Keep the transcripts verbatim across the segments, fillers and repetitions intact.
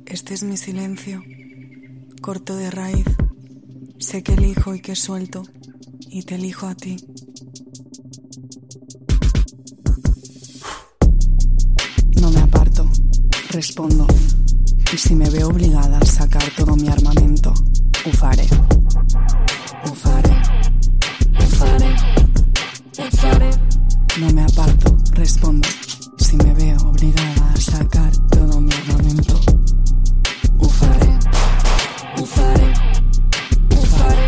Este es mi silencio, corto de raíz. Sé que elijo y que suelto, y te elijo a ti. No me aparto, respondo. Y si me veo obligada a sacar todo mi armamento, ho faré. Ho faré. Ho faré. Ho faré. No me aparto, respondo. Si me veo obligada a sacar todo mi armamento, ho faré. Ho faré. Ho faré.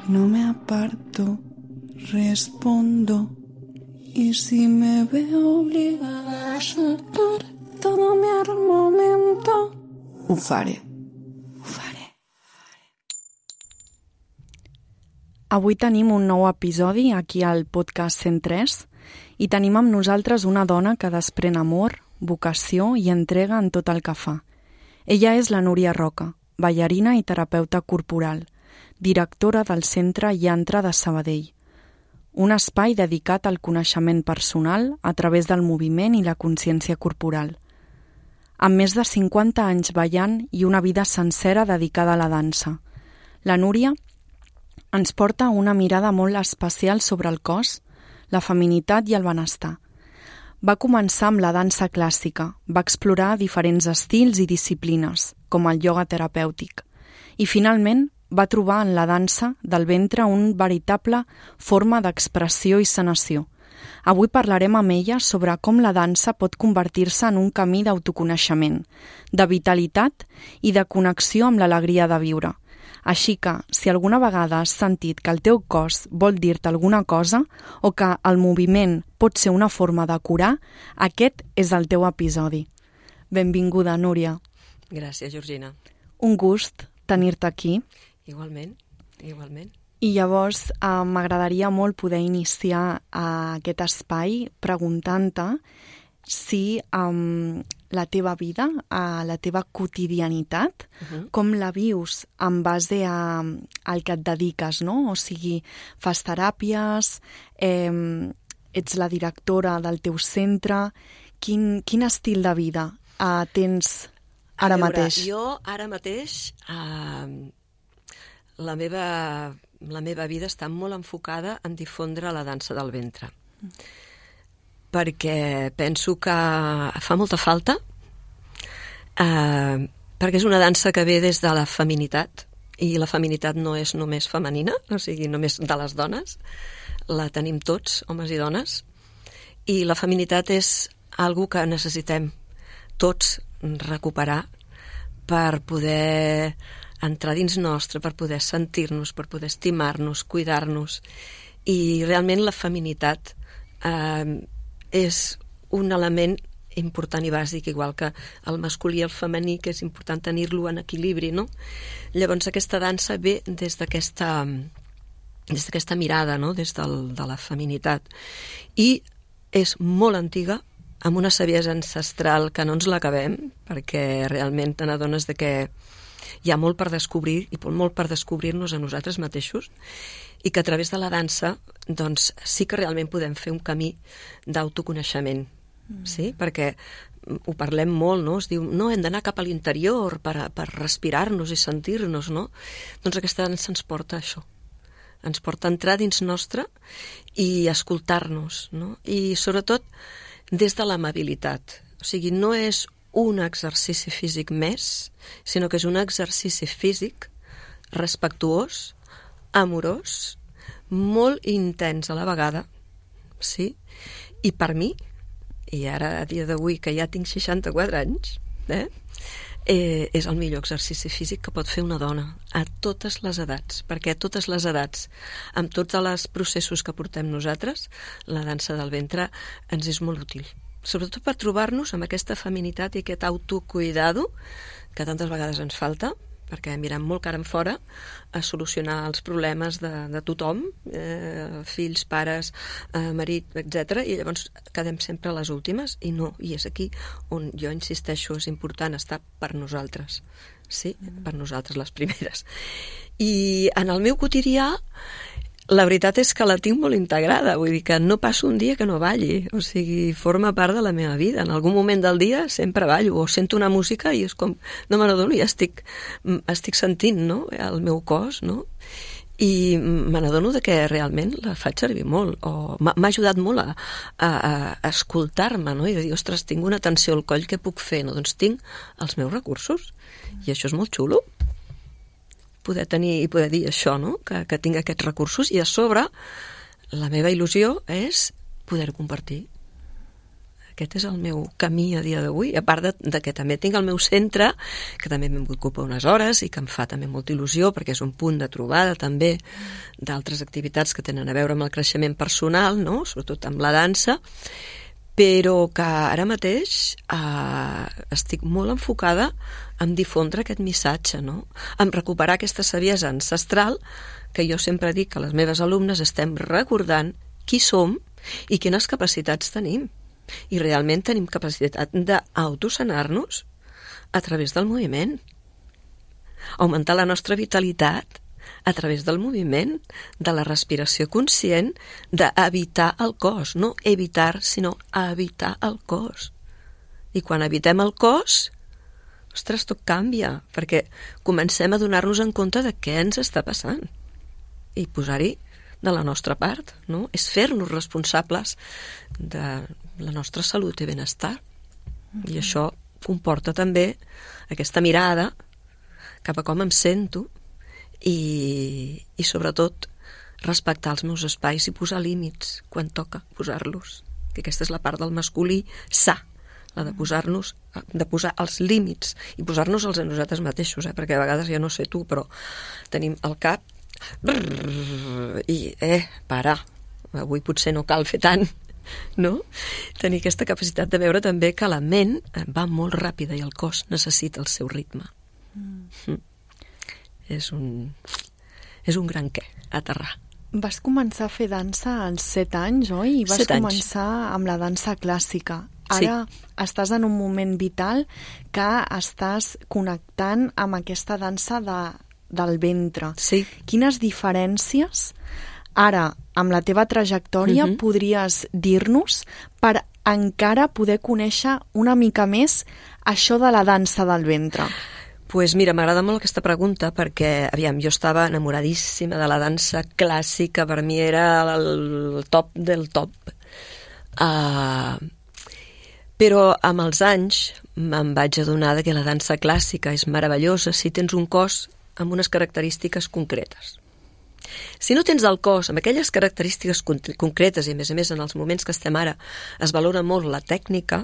No me aparto, respondo. Y si me veo obligada a sacar todo mi armamento, ho faré. Ho faré. Avui tenim un nou episodi aquí al podcast cent tres i tenim amb nosaltres una dona que desprèn amor, vocació i entrega en tot el que fa. Ella és la Núria Roca, ballarina i terapeuta corporal, directora del Centre Yantra de Sabadell, un espai dedicat al coneixement personal a través del moviment i la consciència corporal. Amb més de cinquanta anys ballant i una vida sencera dedicada a la dansa, la Núria ens porta una mirada molt especial sobre el cos, la feminitat i el benestar. Va començar amb la dansa clàssica, va explorar diferents estils i disciplines, com el ioga terapèutic, i finalment va trobar en la dansa del ventre un veritable forma d'expressió i sanació. Avui parlarem amb ella sobre com la dansa pot convertir-se en un camí d'autoconeixement, de vitalitat i de connexió amb l'alegria de viure. Així que, si alguna vegada has sentit que el teu cos vol dir-te alguna cosa o que el moviment pot ser una forma de curar, aquest és el teu episodi. Benvinguda, Núria. Gràcies, Georgina. Un gust tenir-te aquí. Igualment, igualment. I llavors eh, m'agradaria molt poder iniciar eh, aquest espai preguntant-te si eh, la teva vida, eh, la teva quotidianitat, uh-huh. com la vius en base a, al que et dediques, no? O sigui, fas teràpies, eh, ets la directora del teu centre, quin, quin estil de vida eh, tens ara veure, mateix? Jo ara mateix... Eh, La meva, la meva vida està molt enfocada en difondre la dansa del ventre. Mm. Perquè penso que fa molta falta, eh, perquè és una dansa que ve des de la feminitat, i la feminitat no és només femenina, o sigui, només de les dones, la tenim tots, homes i dones, i la feminitat és algo que necessitem tots recuperar per poder entrar dins nostre, per poder sentir-nos, per poder estimar-nos, cuidar-nos. I realment la feminitat eh, és un element important i bàsic, igual que el masculí i el femení, que és important tenir-lo en equilibri, no? Llavors aquesta dansa ve des d'aquesta des d'aquesta mirada, no? Des del, de la feminitat. I és molt antiga, amb una saviesa ancestral que no ens l'acabem, perquè realment te n'adones de que hi ha molt per descobrir i molt per descobrir-nos a nosaltres mateixos, i que a través de la dansa doncs, sí que realment podem fer un camí d'autoconeixement, mm. sí? Perquè ho parlem molt, no? Es diu, no, hem d'anar cap a l'interior per, a, per respirar-nos i sentir-nos, no? Doncs aquesta dansa ens porta a això, ens porta a entrar dins nostre i escoltar-nos, no? I sobretot des de l'amabilitat, o sigui, no és un exercici físic més, sinó que és un exercici físic respectuós, amorós, molt intens a la vegada, sí? I per mi, i ara a dia d'avui que ja tinc seixanta-quatre anys, eh? Eh, és el millor exercici físic que pot fer una dona a totes les edats, perquè a totes les edats, amb tots els processos que portem nosaltres, la dansa del ventre ens és molt útil. Sobretot per trobar-nos amb aquesta feminitat i aquest autocuidado que tantes vegades ens falta, perquè mirem molt cara en fora a solucionar els problemes de, de tothom, eh, fills, pares, eh, marit, etcètera, i llavors quedem sempre a les últimes, i no, i és aquí on jo insisteixo, és important estar per nosaltres, sí? Mm. Per nosaltres les primeres. I en el meu quotidià la veritat és que la tinc molt integrada, vull dir que no passo un dia que no balli, o sigui, forma part de la meva vida. En algun moment del dia sempre ballo, o sento una música i és com, no me n'adono, ja estic, estic sentint, no?, el meu cos, no?, i me n'adono de que realment la faig servir molt, o m'ha ajudat molt a, a, a escoltar-me, no?, i de dir, ostres, tinc una tensió al coll, què puc fer? No, doncs tinc els meus recursos, i això és molt xulo, poder tenir i poder dir això, no?, que, que tinc aquests recursos, i a sobre la meva il·lusió és poder-ho compartir. Aquest és el meu camí a dia d'avui, a part de, de que també tinc el meu centre, que també m'ocupa unes hores i que em fa també molta il·lusió, perquè és un punt de trobada també d'altres activitats que tenen a veure amb el creixement personal, no?, sobretot amb la dansa, però que ara mateix eh, estic molt enfocada en difondre aquest missatge, no?, en recuperar aquesta saviesa ancestral que jo sempre dic que les meves alumnes estem recordant qui som i quines capacitats tenim. I realment tenim capacitat d'autosanar-nos a través del moviment, augmentar la nostra vitalitat a través del moviment, de la respiració conscient, d'evitar el cos, no evitar, sinó evitar el cos. I quan evitem el cos, ostres, tot canvia, perquè comencem a donar-nos en compte de què ens està passant i posar-hi de la nostra part, no? És fer-nos responsables de la nostra salut i benestar. Mm-hmm. I això comporta també aquesta mirada cap a com em sento i, i sobretot respectar els meus espais i posar límits quan toca posar-los, que aquesta és la part del masculí sa, la de posar-nos, de posar els límits i posar-nos-els a nosaltres mateixos, eh? Perquè a vegades ja no sé tu, però tenim el cap brrr, i eh, para, avui potser no cal fer tant, no? Tenir aquesta capacitat de veure també que la ment va molt ràpida i el cos necessita el seu ritme. Mm. Mm. És un és un gran què, aterrar. Vas començar a fer dansa als set anys, oi? I vas set anys. començar amb la dansa clàssica. Ara sí. Estàs en un moment vital que estàs connectant amb aquesta dansa de, del ventre. Sí. Quines diferències ara, amb la teva trajectòria, uh-huh. podries dir-nos per encara poder conèixer una mica més això de la dansa del ventre? Pues mira, m'agrada molt aquesta pregunta perquè, aviam, jo estava enamoradíssima de la dansa clàssica, per mi era el top del top. Uh, però amb els anys me'n vaig adonar que la dansa clàssica és meravellosa si tens un cos amb unes característiques concretes. Si no tens el cos amb aquelles característiques concretes, i a més a més en els moments que estem ara es valora molt la tècnica,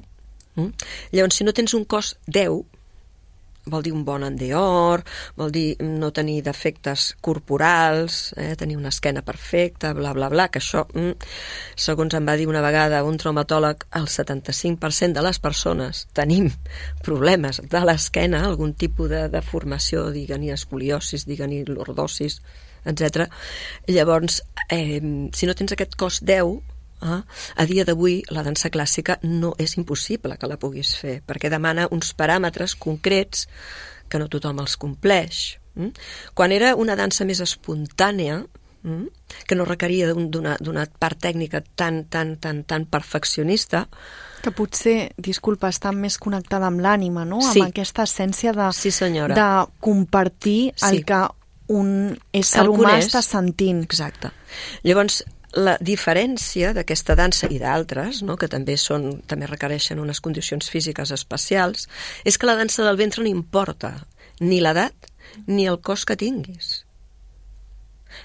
hm? Llavors si no tens un cos deu, vol dir un bon endeor, vol dir no tenir defectes corporals, eh, tenir una esquena perfecta, bla, bla, bla, que això, mm, segons em va dir una vegada un traumatòleg, el setanta-cinc per cent de les persones tenim problemes de l'esquena, algun tipus de deformació, digue-n'hi escoliosis, digue-n'hi lordosis, etcètera. Llavors, eh, si no tens aquest cos deu, Ah, a dia d'avui la dansa clàssica no és impossible que la puguis fer, perquè demana uns paràmetres concrets que no tothom els compleix. Mm? Quan era una dansa més espontània, mm? que no requeria d'una d'una part tècnica tan, tan, tan, tan perfeccionista, que potser, disculpa, està més connectada amb l'ànima, no? Sí. Amb aquesta essència de, sí, senyora. de compartir el sí. que un ésser el humà coneix. està sentint. Exacte. Llavors, la diferència d'aquesta dansa i d'altres, no, que també són també requereixen unes condicions físiques especials, és que la dansa del ventre no importa ni l'edat ni el cos que tinguis.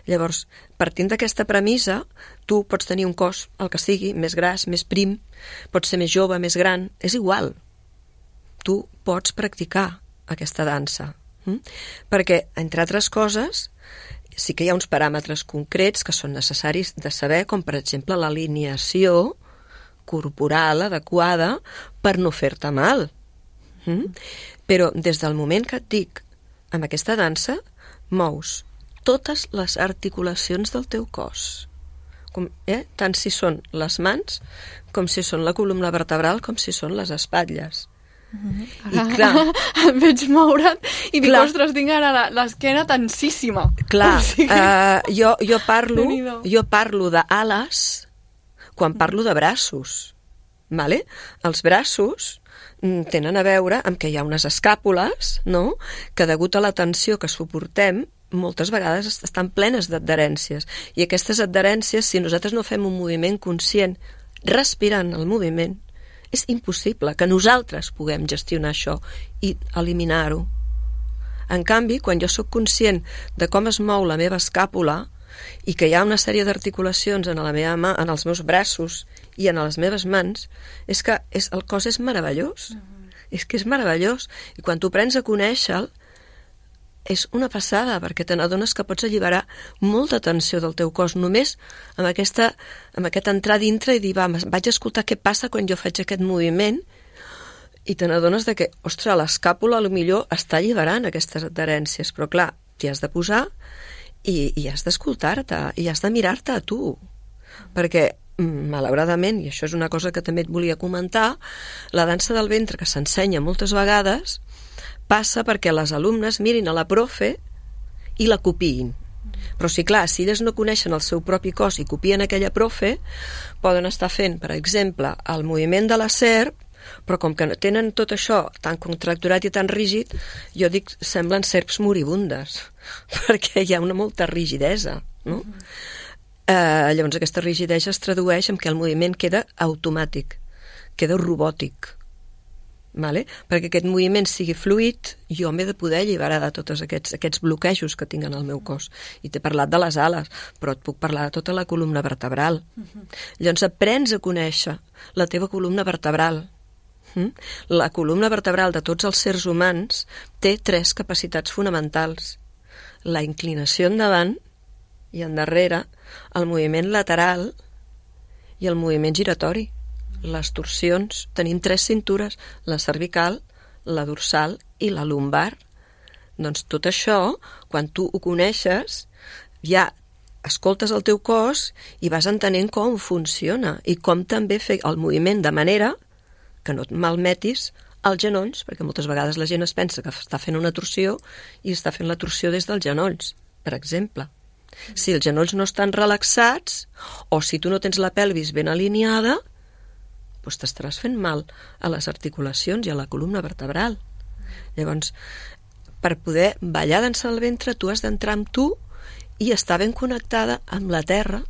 Llavors, partint d'aquesta premissa, tu pots tenir un cos, el que sigui, més gras, més prim, pots ser més jove, més gran, és igual. Tu pots practicar aquesta dansa. Hm? Perquè, entre altres coses, sí que hi ha uns paràmetres concrets que són necessaris de saber, com per exemple l'alineació corporal adequada per no fer-te mal. Mm? Però des del moment que et dic, amb aquesta dansa, mous totes les articulacions del teu cos. Com, eh? Tant si són les mans, com si són la columna vertebral, com si són les espatlles. Mm-hmm. I clar... Et veig moure't i dic, clar, ostres, tinc ara l'esquena tensíssima. Clar, o sigui... uh, jo, jo parlo, Déu-n'hi-do. jo parlo d'ales quan parlo de braços. Vale? Els braços tenen a veure amb que hi ha unes escàpules, no?, que degut a la tensió que suportem moltes vegades estan plenes d'adherències. I aquestes adherències, si nosaltres no fem un moviment conscient respirant el moviment, és impossible que nosaltres puguem gestionar això i eliminar-ho. En canvi, quan jo sóc conscient de com es mou la meva escàpula i que hi ha una sèrie d'articulacions en la meva mà, en els meus braços i en les meves mans, és que és, el cos és meravellós. Mm-hmm. És que és meravellós. I quan tu prens a conèixer-lo, és una passada, perquè te n'adones que pots alliberar molta tensió del teu cos, només amb, aquesta, amb aquest entrar dintre i dir, va, vaig a escoltar què passa quan jo faig aquest moviment, i te n'adones de que, ostres, l'escàpula potser està alliberant aquestes adherències, però clar, t'hi has de posar i, i has d'escoltar-te, i has de mirar-te a tu, perquè malauradament, i això és una cosa que també et volia comentar, la dansa del ventre que s'ensenya moltes vegades passa perquè les alumnes mirin a la profe i la copiïn. Però sí, clar, si elles no coneixen el seu propi cos i copien aquella profe, poden estar fent, per exemple, el moviment de la serp, però com que tenen tot això tan contracturat i tan rígid, jo dic, semblen serps moribundes, perquè hi ha una molta rigidesa, no? Mm-hmm. Eh, llavors aquesta rigidesa es tradueix en que el moviment queda automàtic, queda robòtic. Vale? Perquè aquest moviment sigui fluid, jo m'he de poder alliberar de tots aquests, aquests bloquejos que tinc en el meu cos. I t'he parlat de les ales, però et puc parlar de tota la columna vertebral. Uh-huh. Llavors aprens a conèixer la teva columna vertebral. Uh-huh. La columna vertebral de tots els sers humans té tres capacitats fonamentals. La inclinació endavant i endarrere, el moviment lateral i el moviment giratori. Les torsions, tenim tres cintures, la cervical, la dorsal i la lumbar. Doncs tot això, quan tu ho coneixes, ja escoltes el teu cos i vas entenent com funciona i com també fer el moviment de manera que no et malmetis els genolls, perquè moltes vegades la gent es pensa que està fent una torsió i està fent la torsió des dels genolls, per exemple. Si els genolls no estan relaxats o si tu no tens la pelvis ben alineada, doncs t'estaràs fent mal a les articulacions i a la columna vertebral. Llavors, per poder ballar dansa del ventre, tu has d'entrar amb tu i estar ben connectada amb la terra.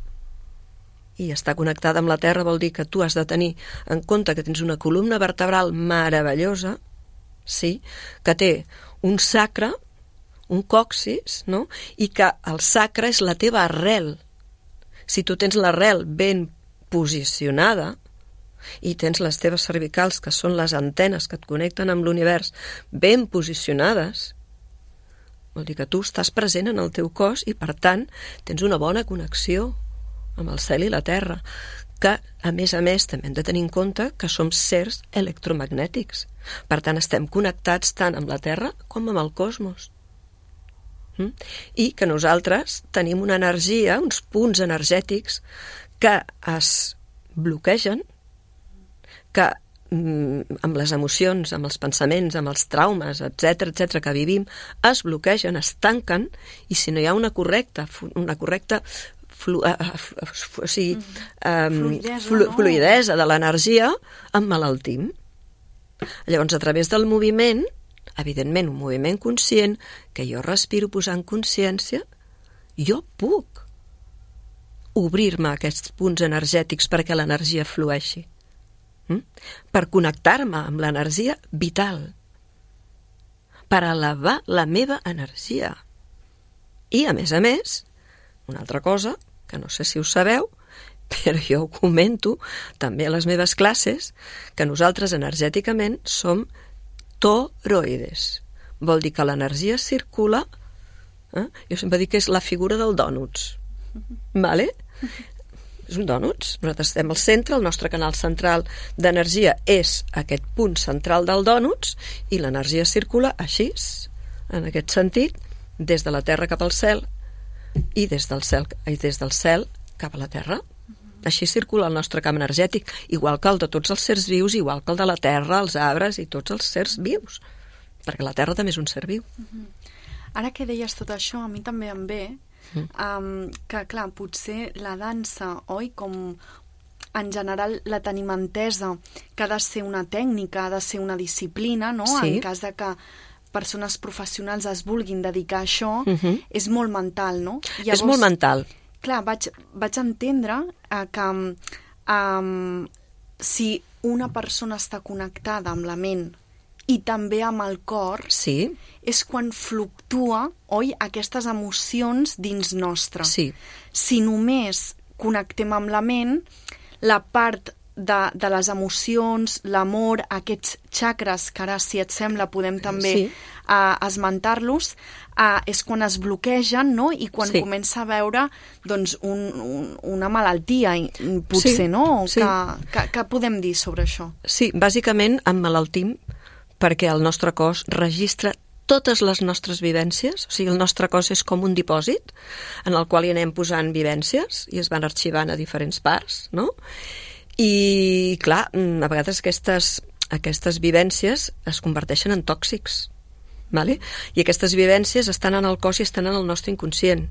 I estar connectada amb la terra vol dir que tu has de tenir en compte que tens una columna vertebral meravellosa, sí, que té un sacre, un còccix, no? I que el sacre és la teva arrel. Si tu tens l'arrel ben posicionada, i tens les teves cervicals, que són les antenes que et connecten amb l'univers, ben posicionades, vol dir que tu estàs present en el teu cos i, per tant, tens una bona connexió amb el cel i la terra, que, a més a més, també hem de tenir en compte que som sers electromagnètics. Per tant, estem connectats tant amb la terra com amb el cosmos. Mm? I que nosaltres tenim una energia, uns punts energètics que es bloquegen, que amb les emocions, amb els pensaments, amb els traumes, etcètera, etcètera, que vivim, es bloquegen, es tanquen, i si no hi ha una correcta, una correcta flu, uh, uh, uh, o sigui, um, fluidesa, flu, no? fluidesa de l'energia, emmalaltim. Llavors, a través del moviment, evidentment, un moviment conscient, que jo respiro posant consciència, jo puc obrir-me a aquests punts energètics perquè l'energia flueixi. Mm? Per connectar-me amb l'energia vital, per elevar la meva energia. I, a més a més, una altra cosa, que no sé si ho sabeu, però jo ho comento també a les meves classes, que nosaltres energèticament som toroides. Vol dir que l'energia circula, eh? Jo sempre dic que és la figura del dònuts. Vale? És un dònuts. Nosaltres estem al centre, el nostre canal central d'energia és aquest punt central del dònuts i l'energia circula així, en aquest sentit, des de la Terra cap al cel i des del cel, i des del cel cap a la Terra. Així circula el nostre camp energètic, igual que el de tots els sers vius, igual que el de la terra, els arbres i tots els sers vius, perquè la terra també és un ser viu. Uh-huh. Ara que deies tot això, a mi també em ve mm. um, que, clar, potser la dansa, oi, com en general la tenim entesa que ha de ser una tècnica, ha de ser una disciplina, no? Sí. En cas de que persones professionals es vulguin dedicar a això, uh-huh. és molt mental, no? Llavors, és molt mental. Clar, vaig, vaig entendre uh, que um, si una persona està connectada amb la ment i també amb el cor, sí. és quan fluctua, oi, aquestes emocions dins nostre. Sí. Si només connectem amb la ment, la part de, de les emocions, l'amor, aquests xacres, que ara, si et sembla, podem també sí. uh, esmentar-los, uh, és quan es bloquegen, no?, i quan sí. comença a veure doncs, un, un, una malaltia, potser, sí. no? Sí. Que, que, que podem dir sobre això? Sí, bàsicament emmalaltim perquè el nostre cos registra totes les nostres vivències, o sigui, el nostre cos és com un dipòsit en el qual hi anem posant vivències i es van arxivant a diferents parts, no? I, clar, a vegades aquestes, aquestes vivències es converteixen en tòxics, vale? I aquestes vivències estan en el cos i estan en el nostre inconscient,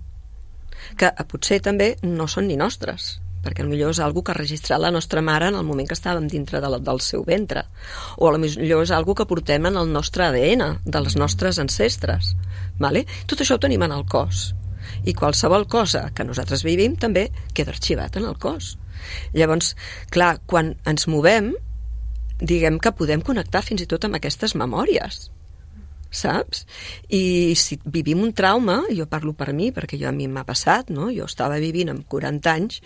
que potser també no són ni nostres, perquè potser és algo que ha registrat la nostra mare en el moment que estàvem dintre de la, del seu ventre, o potser és algo que portem en el nostre A D N, dels nostres ancestres. Vale? Tot això ho tenim en el cos. I qualsevol cosa que nosaltres vivim també queda arxivat en el cos. Llavors, clar, quan ens movem, diguem que podem connectar fins i tot amb aquestes memòries, saps? I si vivim un trauma, jo parlo per mi, perquè jo a mi m'ha passat, no? Jo estava vivint amb quaranta anys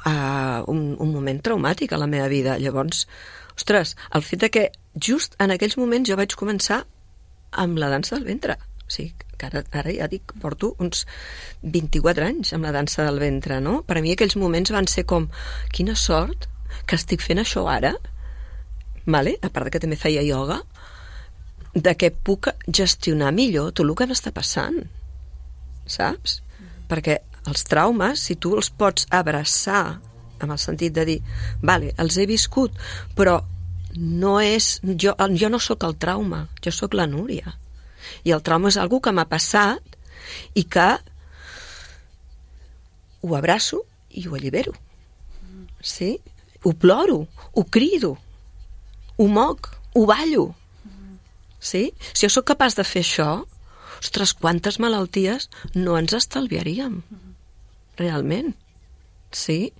Uh, un, un moment traumàtic a la meva vida. Llavors, ostres, el fet de que just en aquells moments jo vaig començar amb la dansa del ventre. O sigui, que ara, ara ja dic, porto uns vint-i-quatre anys amb la dansa del ventre, no? Per a mi aquells moments van ser com, quina sort que estic fent això ara, vale? A part que també feia ioga, de que puc gestionar millor tot el que m'està passant, saps? Mm. Perquè els traumes, si tu els pots abraçar amb el sentit de dir, vale, els he viscut, però no és, jo, jo no sóc el trauma, jo sóc la Núria. I el trauma és algo que m'ha passat i que ho abraço i ho allibero. Sí? Ho ploro, ho crido, ho moc, ho ballo. Sí? Si jo sóc capaç de fer això, ostres, quantes malalties no ens estalviaríem. Realment, sí.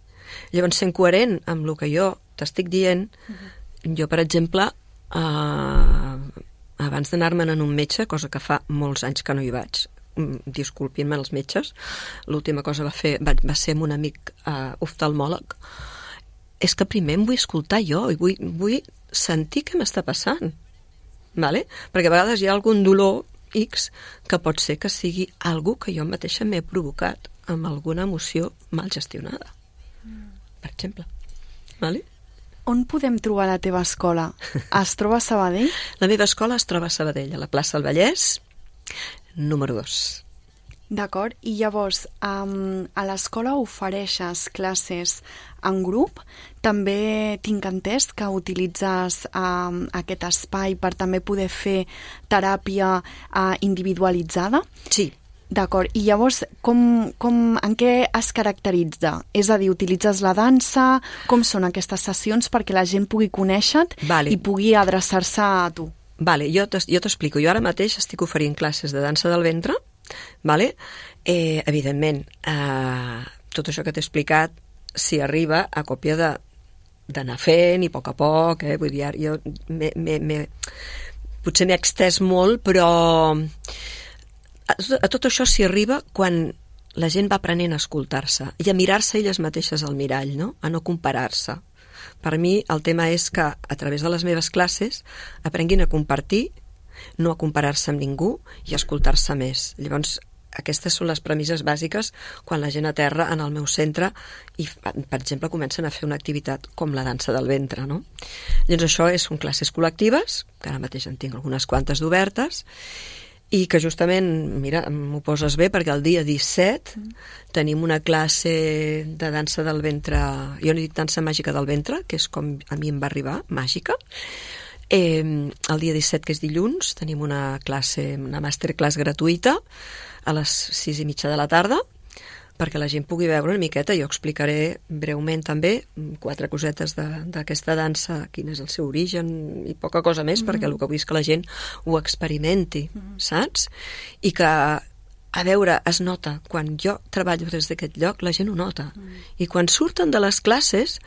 Llavors, sent coherent amb el que jo t'estic dient, uh-huh. jo, per exemple, eh, abans d'anar-me'n en un metge, cosa que fa molts anys que no hi vaig, disculpin-me els metges, l'última cosa va, fer, va, va ser amb un amic eh, oftalmòleg, és que primer em vull escoltar jo i vull, vull sentir què m'està passant, vale? Perquè a vegades hi ha algun dolor X que pot ser que sigui algo que jo mateixa m'he provocat amb alguna emoció mal gestionada, mm. per exemple. Vale? On podem trobar la teva escola? Es troba a Sabadell? La meva escola es troba a Sabadell, a la plaça del Vallès, número dos. D'acord, i llavors um, a l'escola ofereixes classes en grup, també tinc entès que utilitzes um, aquest espai per també poder fer teràpia uh, individualitzada? Sí. D'acord, i llavors com, com, en què es caracteritza? És a dir, utilitzes la dansa? Com són aquestes sessions perquè la gent pugui conèixer-te vale. I pugui adreçar-se a tu? Vale, jo t'explico. Jo ara mateix estic oferint classes de dansa del ventre, vale? eh, evidentment, eh, tot això que t'he explicat s'hi arriba a còpia de d'anar fent i a poc a poc, eh? Vull dir, jo me, me, me, potser m'he extès molt, però a tot això s'hi arriba quan la gent va aprenent a escoltar-se i a mirar-se elles mateixes al mirall, no? A no comparar-se. Per mi el tema és que a través de les meves classes aprenguin a compartir, no a comparar-se amb ningú i a escoltar-se més. Llavors, aquestes són les premisses bàsiques quan la gent aterra en el meu centre i, per exemple, comencen a fer una activitat com la dansa del ventre, no? Llavors això és, són classes col·lectives, que ara mateix en tinc algunes quantes d'obertes, I que justament, mira, m'ho poses bé, perquè el dia disset mm. tenim una classe de dansa del ventre, jo n'he dit dansa màgica del ventre, que és com a mi em va arribar, màgica. Eh, el dia disset, que és dilluns, tenim una classe, una masterclass gratuïta a les sis i mitja de la tarda, perquè la gent pugui veure una miqueta. Jo explicaré breument també quatre cosetes d'aquesta dansa, quin és el seu origen i poca cosa més, mm-hmm. perquè el que vull és que la gent ho experimenti, mm-hmm. saps? I que, a veure, es nota. Quan jo treballo des d'aquest lloc, la gent ho nota. Mm-hmm. I quan surten de les classes,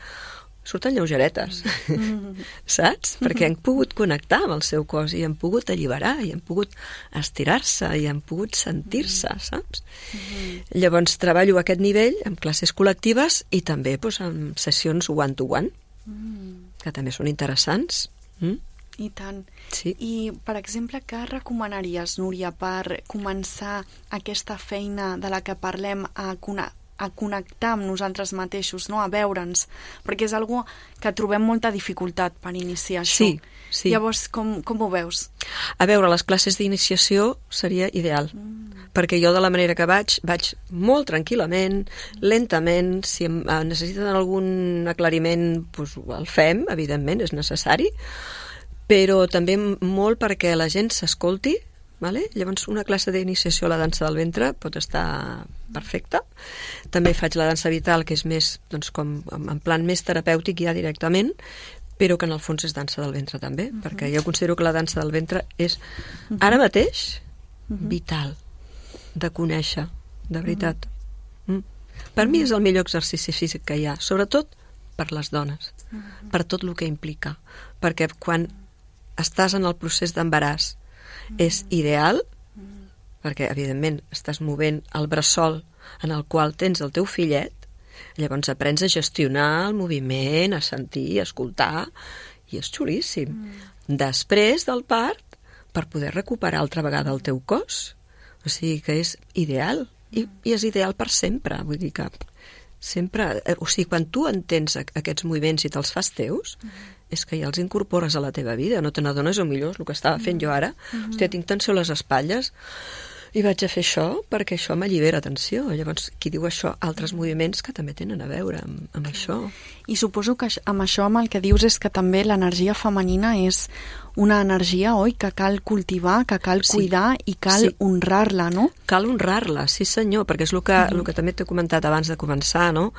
surten lleugeretes, mm-hmm. saps? Mm-hmm. Perquè han pogut connectar amb el seu cos i han pogut alliberar i han pogut estirar-se i han pogut sentir-se, mm-hmm. saps? Mm-hmm. Llavors treballo a aquest nivell amb classes col·lectives i també doncs, amb sessions one-to-one, mm-hmm. que també són interessants. Mm? I tant. Sí. I, per exemple, què recomanaries, Núria, per començar aquesta feina de la que parlem a conèixer a connectar amb nosaltres mateixos, no? A veure'ns, perquè és algo que trobem molta dificultat per iniciar això. Sí, sí. Llavors, com, com ho veus? A veure, les classes d'iniciació seria ideal, mm. perquè jo de la manera que vaig, vaig molt tranquil·lament, lentament, si em necessiten algun aclariment, doncs el fem, evidentment, és necessari, però també molt perquè la gent s'escolti. Vale? Llavors una classe d'iniciació a la dansa del ventre pot estar perfecta. També faig la dansa vital, que és més doncs, com en plan més terapèutic ja directament, però que en el fons és dansa del ventre també, uh-huh. perquè jo considero que la dansa del ventre és uh-huh. ara mateix uh-huh. vital de conèixer, de veritat. Uh-huh. Mm. Per uh-huh. mi és el millor exercici físic que hi ha, sobretot per les dones, uh-huh. per tot el que implica, perquè quan estàs en el procés d'embaràs és ideal, perquè evidentment estàs movent el bressol en el qual tens el teu fillet, llavors aprens a gestionar el moviment, a sentir, a escoltar, i és xulíssim. Mm. Després del part, per poder recuperar altra vegada el teu cos, o sigui que és ideal, i, i és ideal per sempre, vull dir que sempre, o sigui, quan tu entens aquests moviments i te'ls fas teus, mm. és que ja els incorpores a la teva vida, no te n'adones, o millor, és el que estava fent jo ara. Mm-hmm. Hòstia, tinc tensió a les espatlles i vaig a fer això perquè això m'allibera tensió. Llavors, qui diu això? Altres moviments que també tenen a veure amb, amb això. I suposo que amb això, amb el que dius, és que també l'energia femenina és una energia, oi, que cal cultivar, que cal sí. cuidar i cal sí. honrar-la, no? Cal honrar-la, sí senyor, perquè és el que, mm-hmm. el que també t'he comentat abans de començar, no?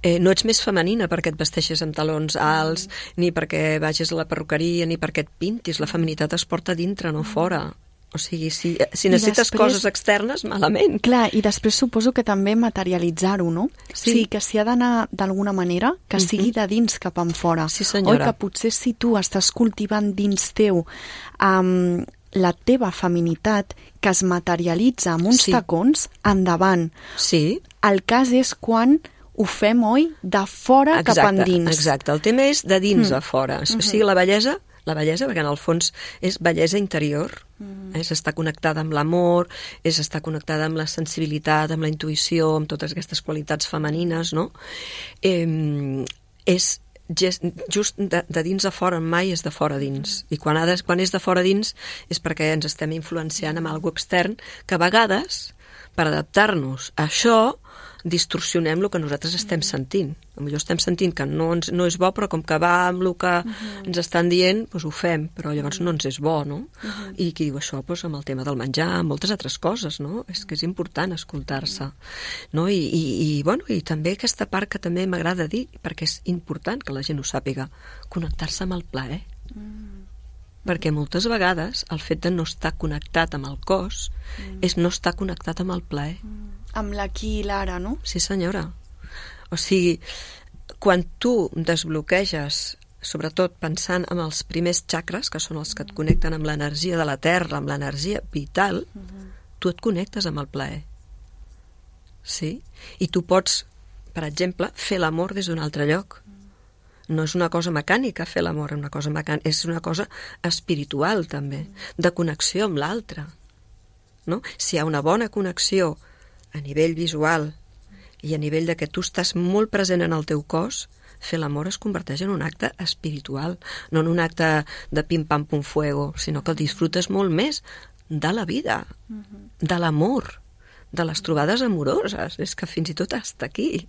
Eh, no ets més femenina perquè et vesteixes amb talons alts, mm-hmm. ni perquè vagis a la perruqueria, ni perquè et pintis. La feminitat es porta dintre, no mm-hmm. fora. O sigui, si, si necessites després, coses externes, malament. Clar, i després suposo que també materialitzar-ho, no? Sí. O sigui, que s'hi ha d'anar d'alguna manera, que mm-hmm. sigui de dins cap en fora. Sí, senyora. Oi, que potser si tu estàs cultivant dins teu um, la teva feminitat, que es materialitza amb uns sí. tacons, endavant. Sí. El cas és quan ho fem, oi, de fora exacte, cap endins. Exacte, el tema és de dins mm. a fora. Mm-hmm. O sigui, la bellesa... La bellesa, perquè en el fons és bellesa interior, mm. és estar connectada amb l'amor, és estar connectada amb la sensibilitat, amb la intuïció, amb totes aquestes qualitats femenines, no? Eh, és just de, de dins a fora, mai és de fora a dins. I quan, ha de, quan és de fora a dins és perquè ens estem influenciant amb alguna extern que a vegades, per adaptar-nos a això, distorsionem el que nosaltres estem sentint. Potser estem sentint que no, ens, no és bo, però com que va amb el que uh-huh. ens estan dient, doncs ho fem, però llavors no ens és bo, no? Uh-huh. I qui diu això? Doncs amb el tema del menjar, amb moltes altres coses, no? És que és important escoltar-se. No? I, i, i, bueno, i també aquesta part que també m'agrada dir, perquè és important que la gent ho sàpiga, connectar-se amb el plaer. Uh-huh. Perquè moltes vegades el fet de no estar connectat amb el cos uh-huh. és no estar connectat amb el plaer. Uh-huh. Amb l'aquí i l'ara, no? Sí, senyora. O sigui, quan tu desbloqueges, sobretot pensant en els primers xacres, que són els que et connecten amb l'energia de la terra, amb l'energia vital, uh-huh. tu et connectes amb el plaer. Sí? I tu pots, per exemple, fer l'amor des d'un altre lloc. No és una cosa mecànica fer l'amor, una cosa mecànica, és una cosa espiritual també, de connexió amb l'altre. No? Si hi ha una bona connexió a nivell visual i a nivell de que tu estàs molt present en el teu cos, fer l'amor es converteix en un acte espiritual, no en un acte de pim-pam-pum-fuego, sinó que el disfrutes molt més de la vida, de l'amor, de les trobades amoroses. És que fins i tot està aquí.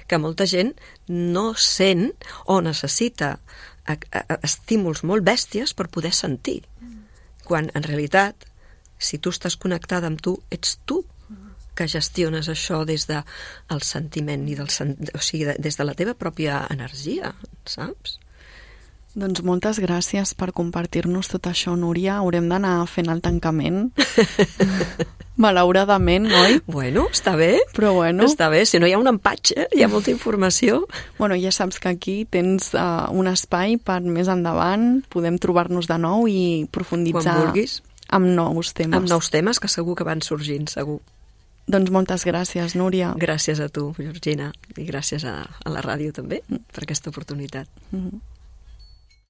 Que molta gent no sent o necessita estímuls molt bèsties per poder sentir. Quan, en realitat, si tu estàs connectada amb tu, ets tu que gestiones això des del sentiment i del sen... o sigui, des de la teva pròpia energia, saps? Doncs moltes gràcies per compartir-nos tot això, Núria. Haurem d'anar fent el tancament. Malauradament, oi? Bueno, està bé. Però bueno. Està bé, si no hi ha un empatge, hi ha molta informació. Bueno, ja saps que aquí tens uh, un espai per més endavant, podem trobar-nos de nou i profunditzar amb nous temes. Amb nous temes que segur que van sorgint, segur. Doncs moltes gràcies, Núria. Gràcies a tu, Georgina, i gràcies a, a la ràdio també per aquesta oportunitat. Mm-hmm.